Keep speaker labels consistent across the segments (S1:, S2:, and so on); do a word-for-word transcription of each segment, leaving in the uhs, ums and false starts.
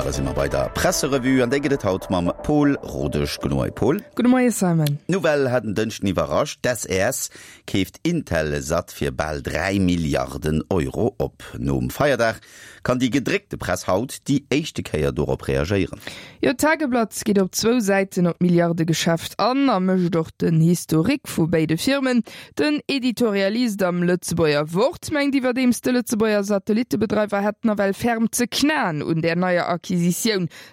S1: Da si mer bei der Presserevue an déi gëtt et haut mam Paul Rodesch. Gudde Moie Paul.
S2: Gudde Moie Simon.
S1: D'Nouvelle hat en Dënschden iwwerrascht, D'SES keeft Intelsat fir bal dräi Milliarden Euro op. Nom Feierdag kann déi gedréckte Press haut déi éischte Kéier dorop reagéieren.
S2: Jo, d'Tageblatt geet op zwou Säiten op d'Milliardegeschäft an a mécht och den Historique vu béide Firmen. Den Editorialist am Lëtzebuerger Wort mengt iwwerdeems, de Lëtzebuerger Satellittebedreiwer hätt nawell ferm ze knaen un där neier Acquisitioun.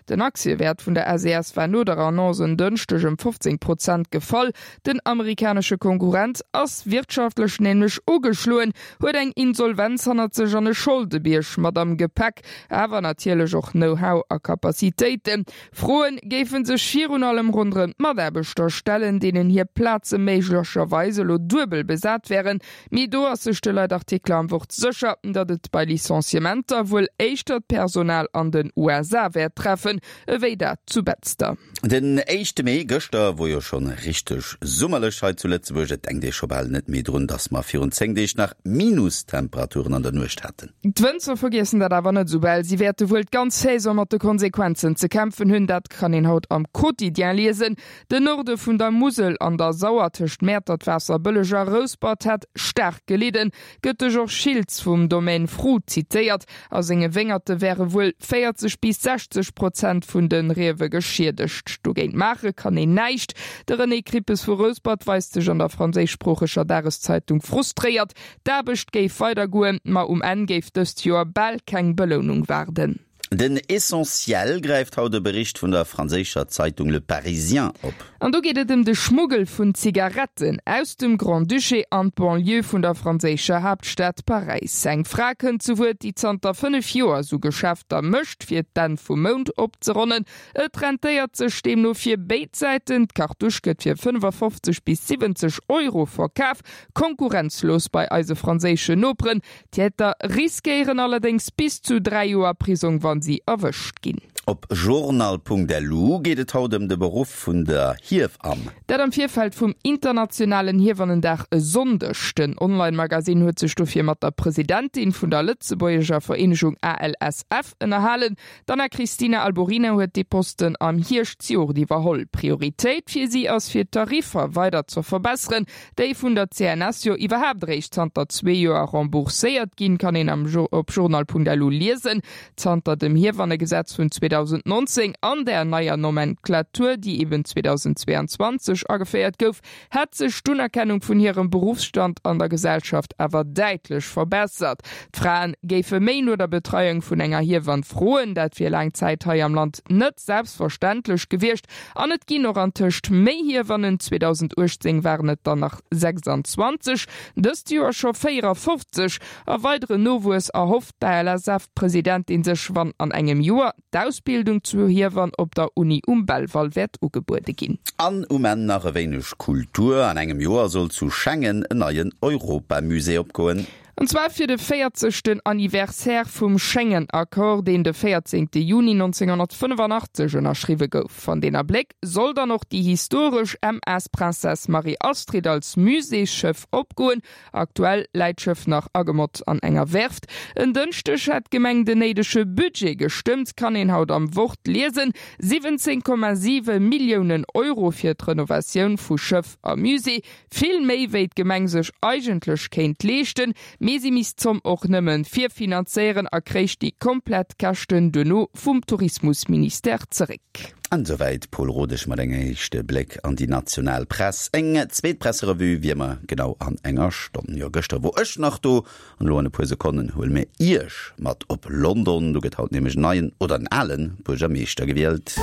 S2: Den Aktiewäert vun der S E S war no der Annonce en Dënschdeg ëm fofzéng Prozent gefall. Den amerikanesche Konkurrent ass wirtschaftlech nämlech ugeschloen, huet eng Insolvenz hannert sech an e Scholdebierg mat am Gepäck, awer natierlech och Know-how a Capacitéiten. Froen géife sech virun allem ronderëm d'Mataarbechter stellen, deenen hir Plaze méiglecherweis elo duebel besat wären. Mee do ass sech de Leitartikler am Wort sécher, datt et bei Licenciementer wuel éischter d'Personal an den U S A wäert treffen, ewéi dat zu Betzder.
S1: Den éischte Mee, gëschter, wor jo schonn richteg summerlech hei zu Lëtzebuerg. Et denkt ee scho bal net méi drun, dass mer virun zéng Deeg nach Minustemperaturen an der Nuecht haten.
S2: D'Wënzer vergiessen dat awer net soubal. Si wäerte wuel d'ganz Saison mat de Konsequenzen ze kämpfen hunn. Dat kann een haut am Quotidien liesen. Den Norde vun der Musel an der Sauer tëscht Mäertert, Waasserbëlleg a Rouspert hätt staark gelidden, gëtt de Georges Schiltz vum Domaine Fru zitéiert. A senge Wéngerte wäre wuel véierzeg bis sechzeg Prozent vun de Riewe geschiedegt. Dogéint maache kann een näischt. De René Krippes vu Rouspert weist sech an der franséischsproocheger Dageszeitung frustréiert. D'Aarbecht géif weidergoen, ma um Enn géif dëst Joer bal keng Belounung waarden.
S1: Den Essentiel gräift haut e Bericht vun der franséischer Zeitung Le Parisien op.
S2: An do geet et ëm de Schmuggel vun Zigaretten aus dem Grand-Duché an d'Banlieue vun der franséischer Haaptstad Paräis. Eng Fra kënnt zu Wuert, déi zanter fënnef Joer sou Geschäfter mécht, fir d'Enn vum Mount opzeronnen. Et rentéiert sech deemno fir béid Säiten, D'Kartusch gëtt fir fënnefafofzeg bis siwwenzeg Euro verkaf, konkurrenzlos bei eise franséischen Noperen. D'Täter riskéieren allerdéngs bis zu dräi Joer Prisong, wa si erwëscht ginn.
S1: Op journal Punkt L U geet et haut ëm de Beruff vun der Hiewamm.
S2: Dat am Virfeld vum internationalen Hiewannendag e Sonndeg. Den Online-Magasinn huet sech dofir mat der Presidentin vun der lëtzebuergescher Vereenegung A L S F ënnerhalen. D'Anna Cristina Alborina huet dee Posten am Hierscht zejoert iwwerholl. Prioritéit fir si ass fir d'Tariffer weider ze verbesseren, déi vun der C N S jo iwwerhaapt eréischt zanter zwee Joer rembourséiert ginn, kann een am op journal Punkt L U liesen. Zanter dem Hiewannegesetz vun zweedausendnonzéng an der neier Nomenklatur, déi eben zweedausendzweeanzwanzeg ageféiert gouf, hätt sech d'Unerkennung vun hirem Beruffsstand an der Gesellschaft awer däitlech verbessert. D'Fraen géife méi no der Betreiung vun enger Hiewann froen, dat wier laang Zäit hei am Land net selbstverständlech gewiescht an et ginn och antëscht méi Hiewannen. zweedausenduechtzéng waren et der nach sechsanzwanzeg, dëst Joer scho véierafofzeg. A weideren Nowuess erhofft d'A L S F-Presidentin sech, wann an engem Joer d'Ausbildung zur Hiewann op der Uni um Belval wäert ugebuede ginn.
S1: An um Enn nach e wéineg Kultur. An engem Joer soll zu Schengen en neien Europamusée opgoen.
S2: An zwar fir de véierzegsten Anniversaire vum Schengen-Accord, deen de véierzéngte Juni nonzénghonnertfënnefanachtzesch ënnerschriwwe gouf. An deen Abléck soll dann och déi historesch M S Princesse Marie-Astrid als Muséesschëff opgoen. Aktuell läit d'Schëff nach agemott an enger Werft. En Dënschdeg hat d'Gemeng den néidege Budget gestëmmt, kann een haut am Wort liesen. siwwenzéng Komma siwe Milliounen Euro fir d'Renovatioun vu Schëff a Musée. Vill méi wéi d'Gemeng sech eigentlech kéint leeschten, mee si misst d'Zomm och nëmme virfinanzéieren a kréich déi komplett Käschten duerno vum Tourismusministère zeréck.
S1: An souwäit Paul Rodesch mat engem éischte Bléck an déi national Press. Eng zweet Presserevue wéi ëmmer genau an enger Stonn. Jo, gëschter wor ech nach do an elo an e puer Sekonnen huele mir iech mat op London. Do gëtt haut nämlech en neien oder en ale Buergermeeschter gewielt.